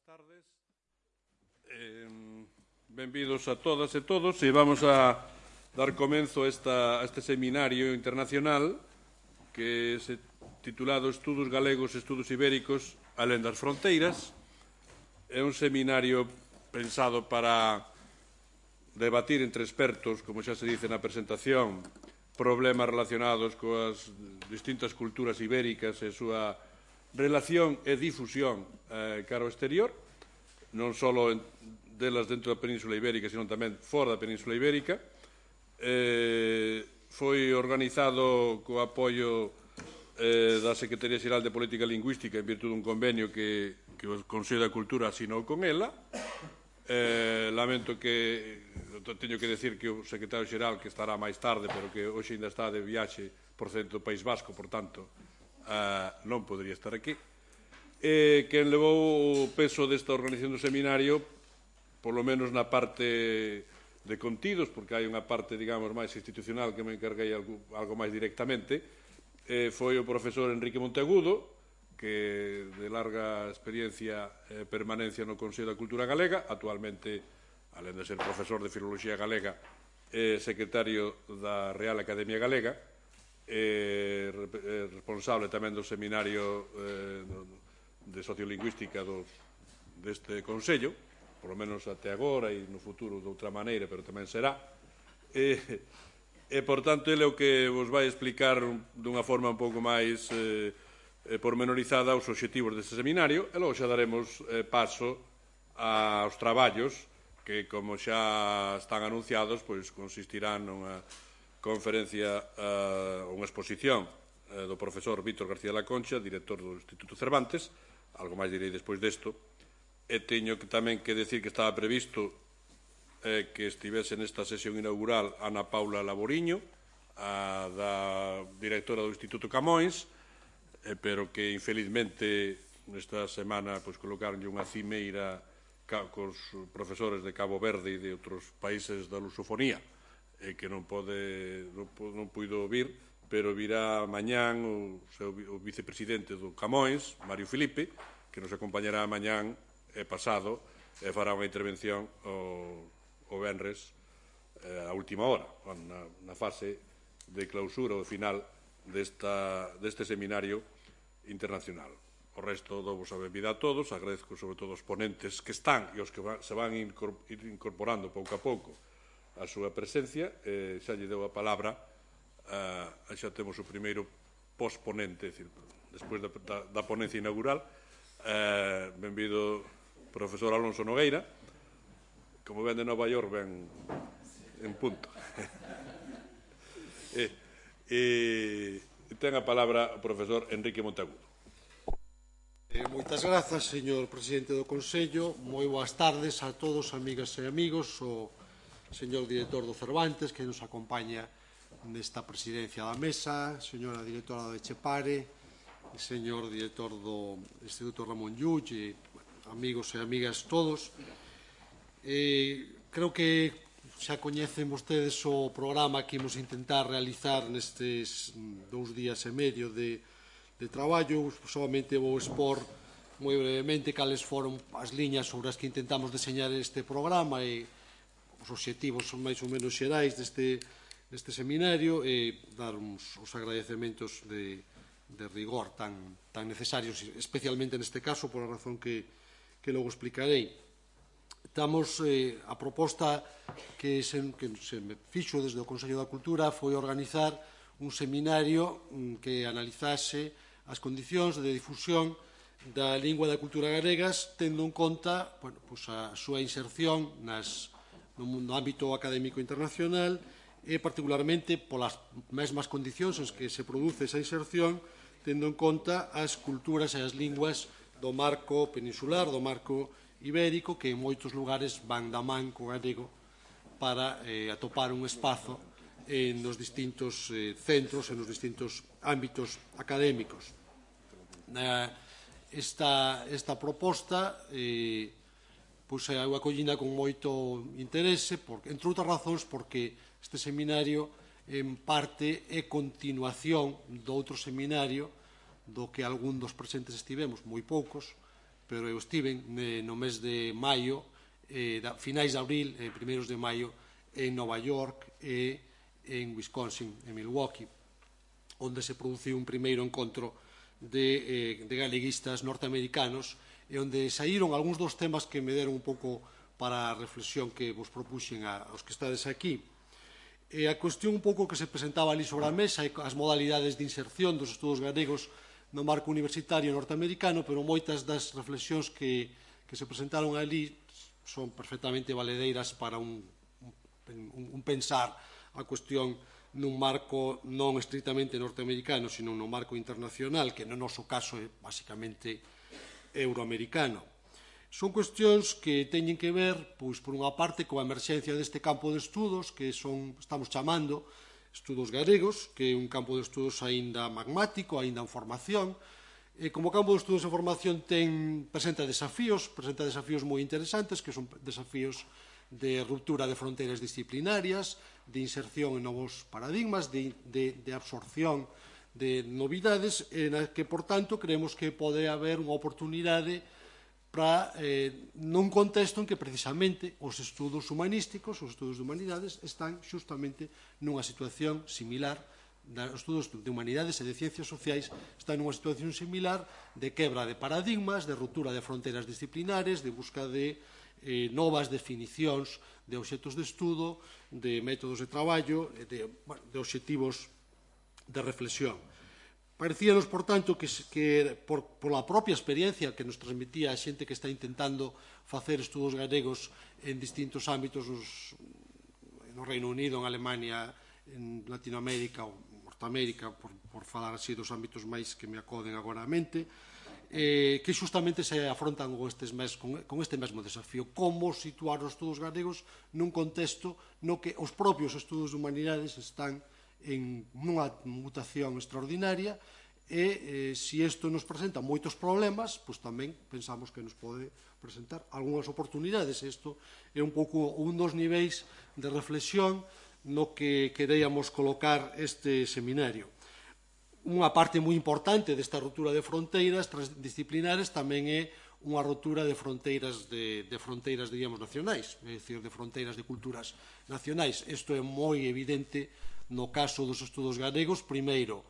tardes. Benvidos a todas e todos e vamos a dar comenzo a este seminario internacional que é titulado Estudos Galegos e Estudos Ibéricos alén das fronteiras. É un seminario pensado para debatir entre expertos, como xa se dice na presentación, problemas relacionados coas distintas culturas ibéricas e a súa relación e difusión cara ao exterior, non só delas dentro da Península Ibérica, sino tamén fora da Península Ibérica. Foi organizado co apoio da Secretaría Xeral de Política Lingüística en virtud dun convenio que o Consello da Cultura asinou con ela. Lamento que teño que decir que o secretario xeral, que estará máis tarde, pero que hoxe ainda está de viaxe procedente do País Vasco, por tanto, non podría estar aquí. Quen levou o peso desta organización do seminario, polo menos na parte de contidos, porque hai unha parte, digamos, máis institucional que me encarguei algo máis directamente, foi o profesor Enrique Monteagudo, que de larga experiencia e permanencia no Consello da Cultura Galega, actualmente, alén de ser profesor de Filoloxía Galega, é secretario da Real Academia Galega, responsable tamén do seminario de Sociolingüística deste Consello, por lo menos até agora e no futuro de outra maneira, pero tamén será. E, por tanto, ele é o que vos vai explicar dunha forma un pouco máis pormenorizada os obxectivos deste seminario, e logo xa daremos paso aos traballos que, como xa están anunciados, pois consistirán nunha conferencia, unha exposición do profesor Víctor García de la Concha, director do Instituto Cervantes. Algo máis direi despois desto. E teño tamén que decir que estaba previsto que estivese nesta sesión inaugural Ana Paula Laboriño, da directora do Instituto Camões, pero que infelizmente nesta semana colocaronlle unha cimeira cos profesores de Cabo Verde e de outros países da lusofonía, que non puido vir, pero virá mañán o vicepresidente do Camões, Mario Filipe, que nos acompañará mañán e pasado e fará unha intervención o venres a última hora, na fase de clausura ou final deste seminario internacional. O resto dou-vos a benvida a todos, agradezco sobre todo os ponentes que están e os que se van incorporando pouco a pouco a súa presencia. Xa lle dou a palabra, xa temos o primeiro posponente, despois da ponencia inaugural. Benvido profesor Alonso Nogueira, como ven de Nova York, ven en punto. Ten a palabra o profesor Enrique Monteagudo. Moitas grazas, señor presidente do Consello. Moi boas tardes a todos, amigas e amigos. O señor director do Cervantes, que nos acompaña nesta presidencia da mesa, señora directora de Chepare, señor director do Instituto Ramón Llull, amigos e amigas todos. Creo que xa coñecen vostedes o programa que imos intentar realizar nestes 2 días e medio de traballo. Solamente vou expor moi brevemente cales foron as liñas sobre as que intentamos deseñar este programa e os obxectivos son máis ou menos xerais deste seminario, e dar os agradecementos de rigor tan necesarios, especialmente neste caso, por a razón que logo explicarei. Estamos, a proposta que se me fixo desde o Consello da Cultura foi organizar un seminario que analizase as condicións de difusión da lingua e da cultura galegas, tendo en conta a súa inserción no ámbito académico internacional e particularmente polas mesmas condicións en que se produce esa inserción, tendo en conta as culturas e as linguas do marco peninsular, do marco ibérico, que en moitos lugares van da man co galego para atopar un espazo nos distintos centros e nos distintos ámbitos académicos. Esta proposta é acollida con moito interese, entre outras razóns porque este seminario en parte é continuación do outro seminario do que algún dos presentes estivemos, moi poucos, pero eu estiven no mes de maio, finais de abril e primeiros de maio, en Nova York e en Wisconsin, en Milwaukee, onde se produciu un primeiro encontro de galeguistas norteamericanos e onde saíron algúns dos temas que me deron un pouco para a reflexión que vos propuxen aos que estades aquí. E a cuestión un pouco que se presentaba ali sobre a mesa e as modalidades de inserción dos estudos galegos no marco universitario norteamericano, pero moitas das reflexións que se presentaron ali son perfectamente valedeiras para un pensar a cuestión nun marco non estritamente norteamericano, sino nun marco internacional, que no noso caso é basicamente euroamericano. Son cuestións que teñen que ver, pois, por unha parte, coa emerxencia deste campo de estudos que estamos chamando estudos galegos, que é un campo de estudos aínda magmático, aínda en formación. E como campo de estudos en formación presenta desafíos moi interesantes, que son desafíos de ruptura de fronteiras disciplinarias, de inserción en novos paradigmas, de absorción de novidades, en que, por tanto, creemos que pode haber unha oportunidade para, nun contexto en que, precisamente, os estudos humanísticos, os estudos de humanidades, están xustamente nunha situación similar. Os estudos de humanidades e de ciencias sociais están nunha situación similar de quebra de paradigmas, de ruptura de fronteiras disciplinares, de busca de novas definicións de obxectos de estudo, de métodos de traballo, de obxectivos de reflexión. Parecíanos, por tanto, que pola propia experiencia que nos transmitía a xente que está intentando facer estudos galegos en distintos ámbitos no Reino Unido, en Alemania, en Latinoamérica ou Norteamérica, por falar así dos ámbitos máis que me acoden agora á mente, que xustamente se afrontan con este mesmo desafío. Como situar os estudos galegos nun contexto no que os propios estudos de humanidades están en unha mutación extraordinaria e se isto nos presenta moitos problemas, pois tamén pensamos que nos pode presentar algunhas oportunidades. Isto é un pouco un dos niveis de reflexión no que queríamos colocar este seminario. Unha parte moi importante desta ruptura de fronteiras transdisciplinares tamén é unha ruptura de fronteiras, diríamos, nacionais, é dicir, de fronteiras de culturas nacionais. Isto é moi evidente no caso dos estudos galegos, primeiro,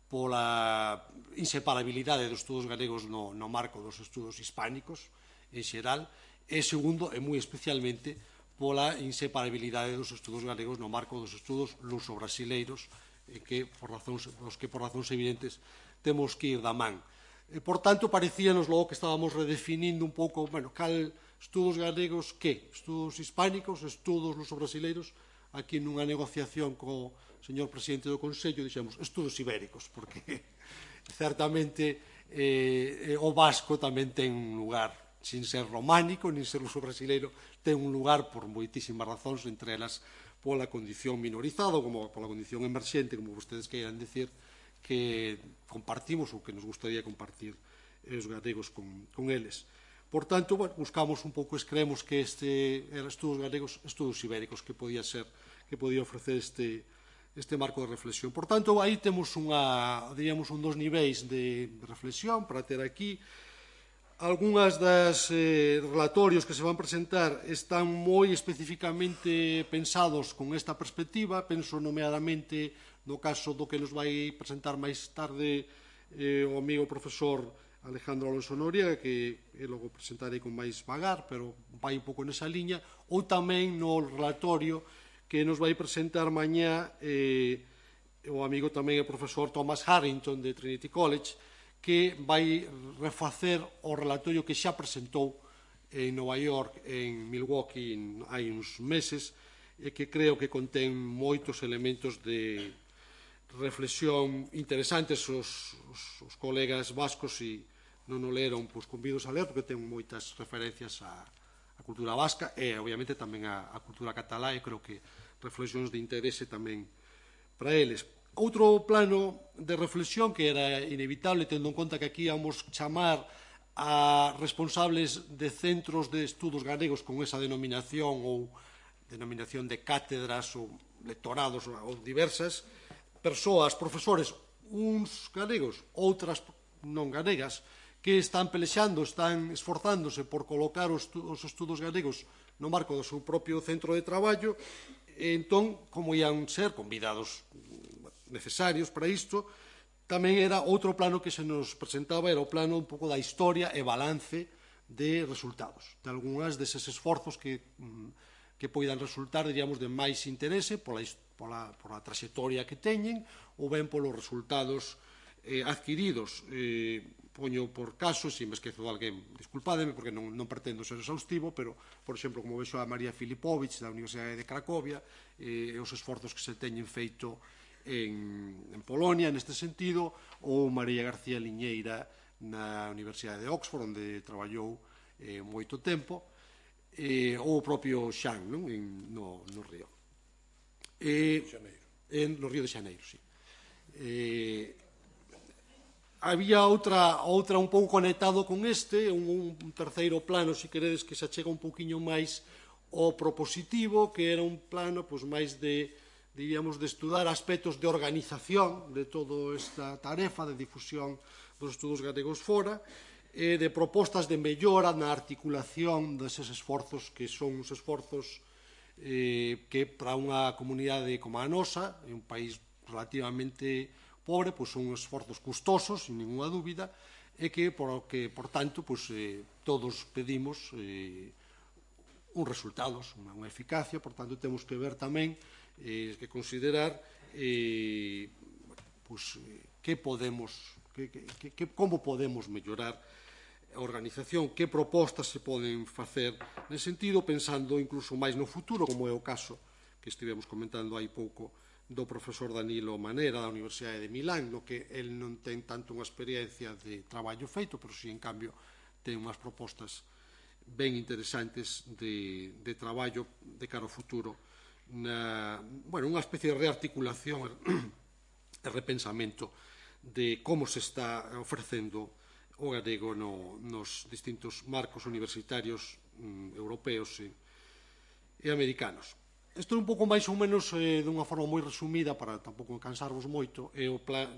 pola inseparabilidade dos estudos galegos no marco dos estudos hispánicos, en xeral, e segundo, e moi especialmente, pola inseparabilidade dos estudos galegos no marco dos estudos luso-brasileiros, que por razóns evidentes temos que ir da man. Por tanto, parecíanos logo que estábamos redefinindo un pouco, cal estudos galegos, que? Estudos hispánicos, estudos luso-brasileiros. Aquí nunha negociación co señor presidente do Consello dixemos estudos ibéricos, porque certamente o vasco tamén ten un lugar, sin ser románico, nin ser luso-brasileiro, ten un lugar por moitísimas razóns, entre elas pola condición minorizada, como pola condición emerxente, como vostedes queiran decir, que compartimos ou que nos gustaría compartir os galegos con eles. Por tanto, buscamos un pouco, creemos que eran estudos galegos, estudos ibéricos, que podía ofrecer este marco de reflexión. Por tanto, aí temos diríamos, un dos niveis de reflexión para ter aquí. Algúnas das relatorios que se van presentar están moi especificamente pensados con esta perspectiva. Penso nomeadamente no caso do que nos vai presentar máis tarde o amigo profesor Alejandro Alonso Noriega, que logo presentarei con máis vagar, pero vai un pouco nesa liña, ou tamén no relatorio que nos vai presentar mañá o amigo tamén o profesor Thomas Harrington de Trinity College, que vai refacer o relatorio que xa presentou en Nova York, en Milwaukee, hai uns meses, e que creo que contén moitos elementos de reflexión interesantes. Os colegas vascos, se non o leron, pois convidos a ler, porque ten moitas referencias á cultura vasca e, obviamente, tamén á cultura catalá, e creo que reflexións de interese tamén para eles. Outro plano de reflexión que era inevitable, tendo en conta que aquí íamos chamar a responsables de centros de estudos galegos con esa denominación ou denominación de cátedras ou lectorados ou diversas persoas, profesores, uns galegos, outras non galegas, que están pelexando, están esforzándose por colocar os estudos galegos no marco do seu propio centro de traballo, e entón, como ian ser convidados necesarios para isto, tamén era outro plano que se nos presentaba, era o plano un pouco da historia e balance de resultados, de algunhas deses esforzos que poidan resultar, diríamos, de máis interese pola trayectoria que teñen ou ben polos resultados adquiridos. Poño por caso, se me esquezo de alguén, disculpádeme, porque non pretendo ser exhaustivo, pero, por exemplo, como vexo a María Filipovich da Universidade de Cracovia, e os esforzos que se teñen feito en Polonia, neste sentido, ou María García Liñeira na Universidade de Oxford, onde traballou moito tempo, ou o propio Xan, no Río. No Río de Xaneiro, sí. Había outra un pouco conectado con este, un terceiro plano, se queredes, que se achega un pouquiño máis ao propositivo, que era un plano máis de, diríamos, de estudar aspectos de organización de toda esta tarefa de difusión dos estudos galegos fora, e de propostas de mellora na articulación deses esforzos, que son os esforzos que para unha comunidade como a nosa, en un país relativamente pobre, son esforzos custosos, sin ninguna dúbida, e que, por tanto, todos pedimos uns resultados, unha eficacia. Por tanto, temos que ver tamén, que considerar como podemos mellorar a organización, que propostas se poden facer nese sentido, pensando incluso máis no futuro, como é o caso que estivemos comentando hai pouco do profesor Danilo Manera da Universidade de Milán, no que el non ten tanto unha experiencia de traballo feito, pero si, en cambio, ten unhas propostas ben interesantes de traballo de cara ao futuro, unha especie de rearticulación e repensamento de como se está ofrecendo o galego nos distintos marcos universitarios europeos e americanos. Isto é un pouco máis ou menos dunha forma moi resumida, para tampouco cansarvos moito,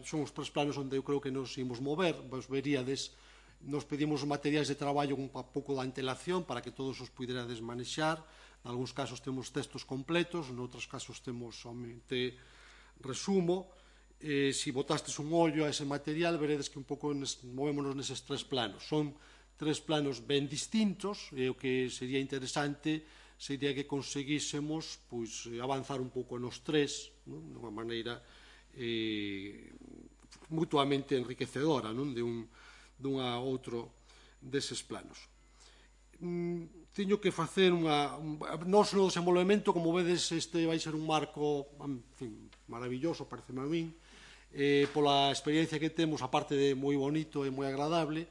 son os tres planos onde eu creo que nos imos mover. Vos veríades, nos pedimos materiais de traballo un pouco da antelación para que todos os puiderades manexar. En algúns casos temos textos completos, en outros casos temos somente resumo. Se botastes un ollo a ese material, veredes que un pouco movémonos neses tres planos. Son tres planos ben distintos, e o que sería interesante sería que conseguísemos avanzar un pouco nos tres, dunha maneira mutuamente enriquecedora dun a outro deses planos. Teño que facer nos no desenvolvemento, como vedes, este vai ser un marco maravilloso, pareceme a min, pola experiencia que temos, aparte de moi bonito e moi agradable,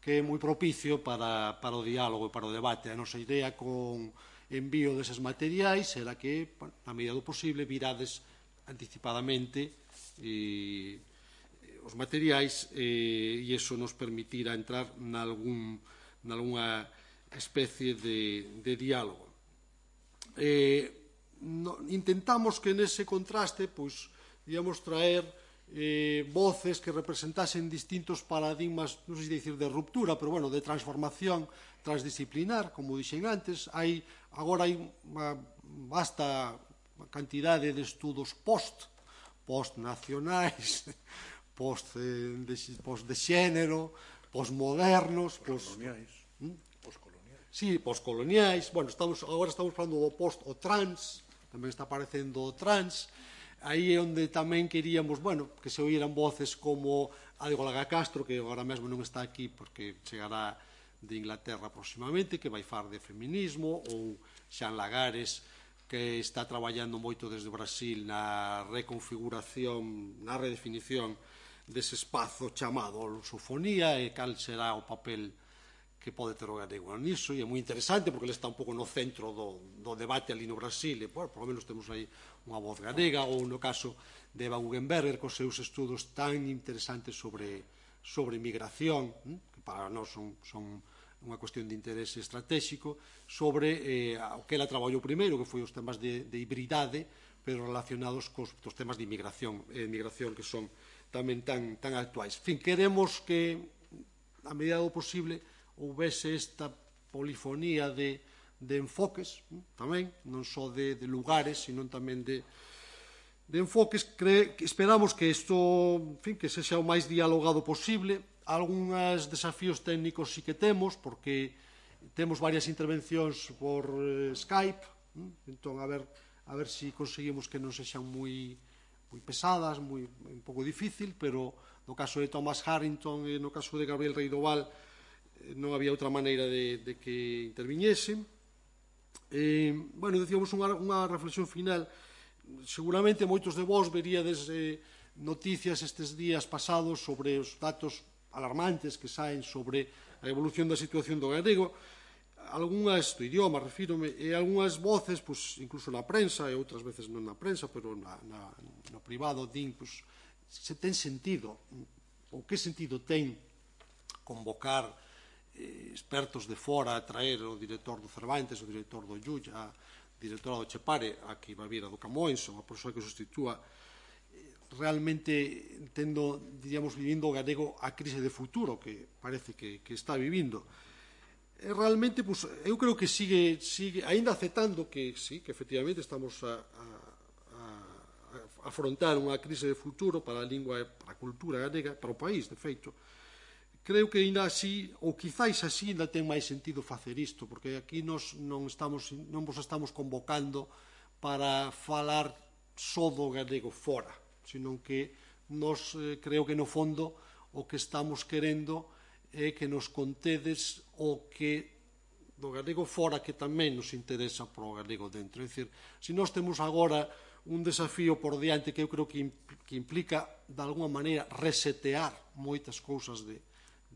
que é moi propicio para o diálogo e para o debate. A nosa idea con envío deses materiais era que, na medida do posible, virades anticipadamente os materiais, e iso nos permitira entrar nalgúnha especie de diálogo. Intentamos que nese contraste, digamos, traer voces que representasen distintos paradigmas, non sei dicir de ruptura, pero, bueno, de transformación transdisciplinar, como dixen antes. Agora hai unha vasta cantidade de estudos post-nacionais, post-de xénero, post-modernos, post-coloniais. Agora estamos falando do post o trans, tamén está aparecendo o trans. Aí é onde tamén queríamos, que se oíran voces como a de Olga Castro, que agora mesmo non está aquí porque chegará de Inglaterra próximamente, que vai falar de feminismo, ou Xan Lagares, que está traballando moito desde Brasil na reconfiguración, na redefinición dese espazo chamado lusofonía, e cal será o papel que pode ter o galego niso. E é moi interesante porque ele está un pouco no centro do debate ali no Brasil, e por lo menos temos aí unha voz galega. Ou no caso de Eva Guggenberger, cos seus estudos tan interesantes sobre migración, que para nós son unha cuestión de interese estratégico, sobre o que ela traballou primeiro, que foi os temas de hibridade, pero relacionados cos temas de inmigración, que son tamén tan actuais. En fin, queremos que a medida do posible, houvese esta polifonía de enfoques, tamén, non só de lugares, sino tamén de enfoques. Esperamos que isto, en fin, que sexa o máis dialogado posible. Algúns desafíos técnicos sí que temos, porque temos varias intervencións por Skype, entón a ver se conseguimos que non sexan moi pesadas, un pouco difícil, pero no caso de Thomas Harrington e no caso de Gabriel Reidoval non había outra maneira de que interviñesen. Bueno, decíamos unha reflexión final. Seguramente moitos de vós veríades noticias estes días pasados sobre os datos alarmantes que saen sobre a evolución da situación do galego, algunhas do idioma, refírome, e algunhas voces, incluso na prensa, e outras veces non na prensa, pero no privado, din, se ten sentido, ou que sentido ten convocar expertos de fora a traer o director do Cervantes, o director do Llulla, a directora do Chepare, a que iba a vir a do Camões, ou a persoa que sustitúa, realmente diríamos, vivindo o galego a crise de futuro que parece que está vivindo. Realmente, eu creo que sigue ainda aceptando que sí, que efectivamente estamos a afrontar unha crise de futuro para a lingua e para a cultura galega, para o país, de feito. Creo que ainda así, ou quizáis así, ainda ten máis sentido facer isto, porque aquí non vos estamos convocando para falar só do galego fora, sino que nos creo que no fondo o que estamos querendo é que nos contedes o que do galego fora que tamén nos interesa para o galego dentro. É dicir, se nós temos agora un desafío por diante que eu creo que implica, de alguma maneira, resetear moitas cousas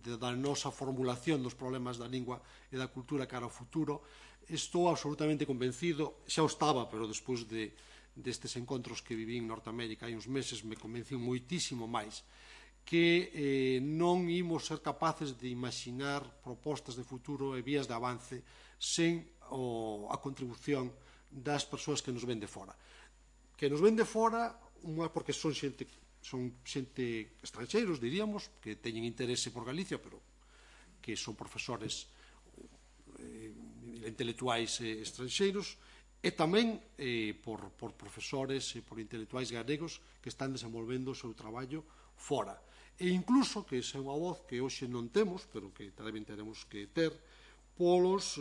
da nosa formulación dos problemas da lingua e da cultura cara ao futuro. Estou absolutamente convencido, xa o estaba, pero despois destes encontros que viví en Norteamérica hai uns meses me convencín moitísimo máis que non imos ser capaces de imaginar propostas de futuro e vías de avance sen a contribución das persoas que nos ven de fora. Que nos ven de fora, porque son xente estranxeiros, diríamos, que teñen interese por Galicia, pero que son profesores intelectuais estranxeiros, e tamén por profesores e por intelectuais galegos que están desenvolvendo o seu traballo fora. E incluso, que esa é unha voz que hoxe non temos, pero que tamén teremos que ter, polos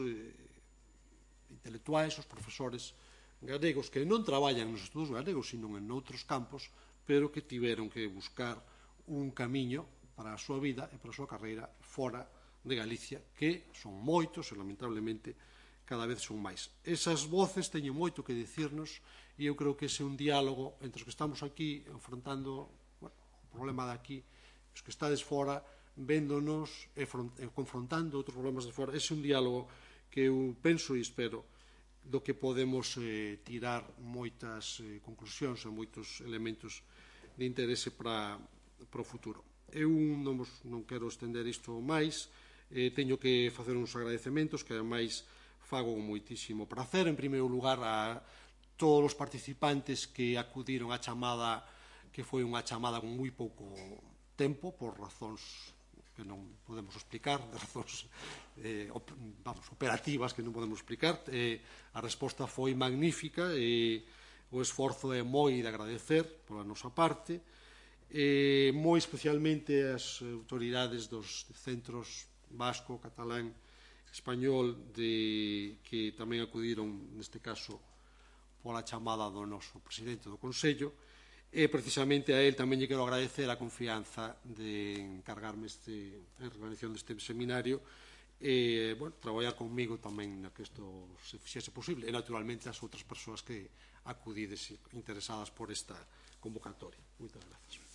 intelectuais, os profesores galegos que non traballan nos estudos galegos, sino en outros campos, pero que tiveron que buscar un camiño para a súa vida e para a súa carreira fora de Galicia, que son moitos e, lamentablemente, cada vez son máis. Esas voces teñen moito que dicirnos e eu creo que ese é un diálogo entre os que estamos aquí enfrontando o problema de aquí, os que estades fora, véndonos e confrontando outros problemas de fora. Ese é un diálogo que eu penso e espero do que podemos tirar moitas conclusións e moitos elementos de interese para o futuro. Eu non quero estender isto máis, teño que facer uns agradecementos que ademais fago con moitísimo prazer. En primeiro lugar, a todos os participantes que acudiron á chamada, que foi unha chamada con moi pouco tempo, por razóns que non podemos explicar, de razóns operativas que non podemos explicar. A resposta foi magnífica e o esforzo é moi de agradecer pola nosa parte, moi especialmente as autoridades dos centros vasco, catalán, español, que tamén acudiron, neste caso, pola chamada do noso presidente do Consello, e precisamente a él tamén lle quero agradecer a confianza de encargarme a organización deste seminario e traballar comigo tamén na que isto se fixese posible, e naturalmente as outras persoas que acudides interesadas por esta convocatoria. Moitas grazas.